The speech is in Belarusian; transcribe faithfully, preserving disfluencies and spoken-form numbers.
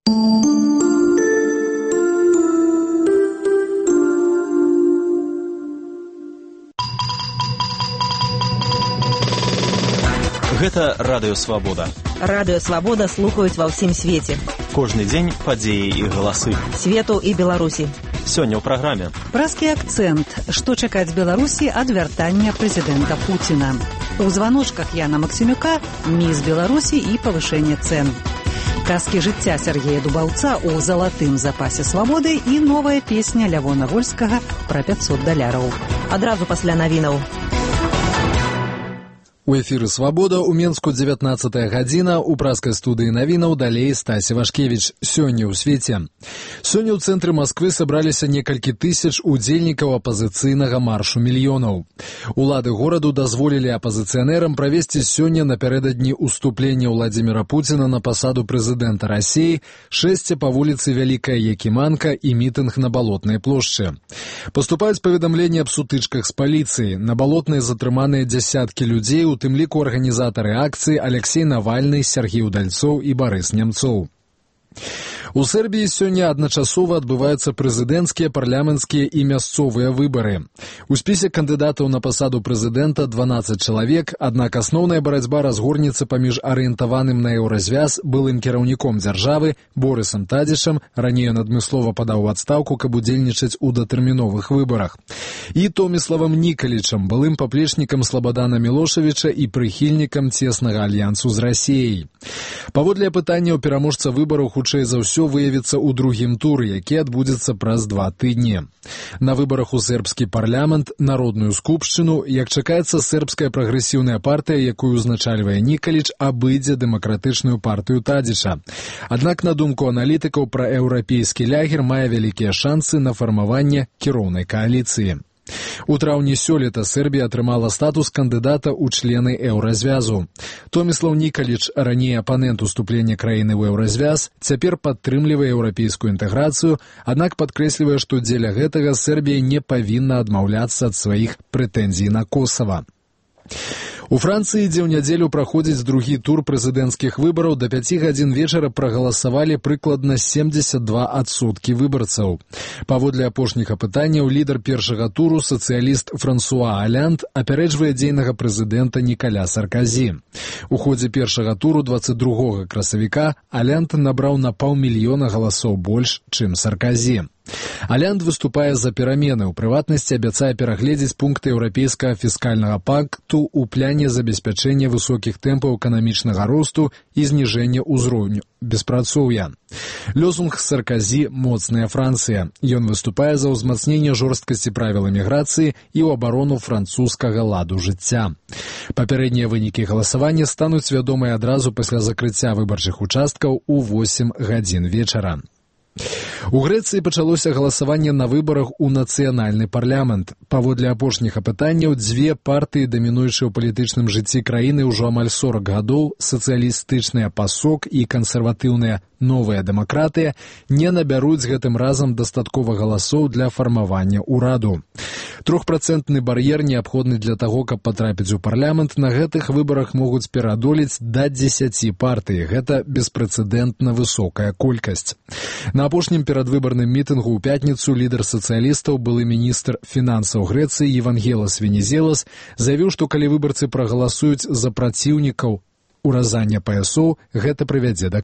Гэта Радыё Свабода. Радыё Свабода слухаюць ва ўсім свеце. Кожны дзень падзеі і галасы. Свету і Беларусі. Сёння ў праграме. Празкі акцэнт. Што чакаць Беларусі ад вяртання прэзідэнта Пуціна. У званочках Яна Максімюка міс Беларусі і павышэнне цэн. Казкі жыцця Сергея Дубаўца ў залатым запасе свабоды і новая песня Лявона Вольскага пра пяцьсот даляраў. Адразу пасля навінаў. У эфіры «Свабода» у Менску дзевятнаццатая гадзіна, у празкай студыі навінаў далей Стасі Вашкевіч. Сёння ў свеце. Сёння ў цэнтры Масквы сабраліся некалькі тысяч удзельнікаў апазіцыйнага маршу мільёнаў. Улады гораду дазволілі апазіцыянерам правесці сёння напярэдадні уступлення Владзіміра Пуціна на пасаду прэзідэнта Расіі шэсце па вуліцы Вялікая Якіманка і мітынг на Балотнай плошчы. Паступаюць паведамленні аб сутычках з паліцыяй. На Балотнай затрыманыя дзясяткі людзей, у тым ліку арганізатары акцыі Алексей Навальны, Сергей Удальцоў і Барыс Немцоў. У Сербіі сёння адначасова адбываюцца прэзідэнцкія, парламенцкія і мясцовыя выбары. У спісе кандыдатаў на пасаду прэзідэнта дванаццаць чалавек, аднак асноўная барацьба разгорнецца паміж арыентаваным на еўразвяз былым кіраўніком дзяржавы Борысам Тадзічам, раней ён адмыслова падаў у адстаўку, каб удзельнічаць у датэрміновых выбарах, і Томіславам Нікалічам, былым паплечнікам Слабадана Мілошавіча і прыхільнікам цеснага альянсу з Расіяй. Паводле апытанняў пераможца выбараў хутчэй за ўсё выявіцца ў другім туры, які адбудзецца праз два тыдні. На выбарах у сербскі парламент, народную скупшчыну, як чакаецца, сербская прагрэсіўная партыя, якую узначальвае Нікаліч, абыдзе дэмакратычную партыю Тадзіча. Аднак, на думку аналітыкаў, праеўрапейскі лягер мае вялікія шансы на фармаванне кіроўнай кааліцыі. У траўні сёлета Сербія атрымала статус кандыдата ў члены еўразвязу. Томіслаў Нікаліч, раней апанент уступлення краіны ў еўразвяз, цяпер падтрымлівае еўрапейскую інтэграцыю, аднак падкрэслівае, што дзеля гэтага Сербія не павінна адмаўляцца ад сваіх прэтэнзій на Косава. У Францыі, дзе ў нядзелю праходзіць другі тур прэзідэнцкіх выбараў, да пяці гадзін вечара прагаласавалі прыкладна семдзесят два адсоткі выбарцаў. Паводле апошніх апытанняў, лідар першага туру, сацыяліст Франсуа Алянд, апярэджвае дзейнага прэзідэнта Нікаля Сарказі. У ходзе першага туру дваццаць другога красавіка Алянд набраў на паўмільёна галасоў больш, чым Сарказі. Алянд выступае за перамены, у прыватнасці абяцае перагледзець пункты еўрапейскага фіскальнага пакту ў пляне забеспячэння высокіх тэмпаў эканамічнага росту і зніжэння ўзроўню беспрацоўя. Лёсунг Сарказі «Моцная Францыя». Ён выступае за ўзмацненне жорсткасці правіл эміграцыі і ў абарону французскага ладу жыцця. Папярэднія вынікі галасавання стануць вядомыя адразу пасля закрыцця выбарчых участкаў у восем гадзін вечара. У Грэцыі пачалося галасаванне на выбарах у нацыянальны парламент. Паводле апошніх апытанняў, дзве партыі, дамінуючыя ў палітычным жыцці краіны ўжо амаль сорак гадоў, сацыялістычная ПАСОК і кансерватыўная «Новая дэмакратыя», не набяруць гэтым разам дастаткова галасоў для фармавання ўраду. Трохпрацэнтны бар'ер неабходны для таго, каб патрапіць у парламент, на гэтых выбарах могуць пераадолець да дзесяці партый. Гэта беспрэцэдэнтна высокая колькасць. На апошнім перадвыбарным мітынгу ў пятніцу лідар сацыялістаў, былы міністр фінансаў Грэцыі Евангелас Венізелас, заявіў, што калі выбарцы прагаласуюць за праціўнікаў уразання паясоў, гэта прывядзе да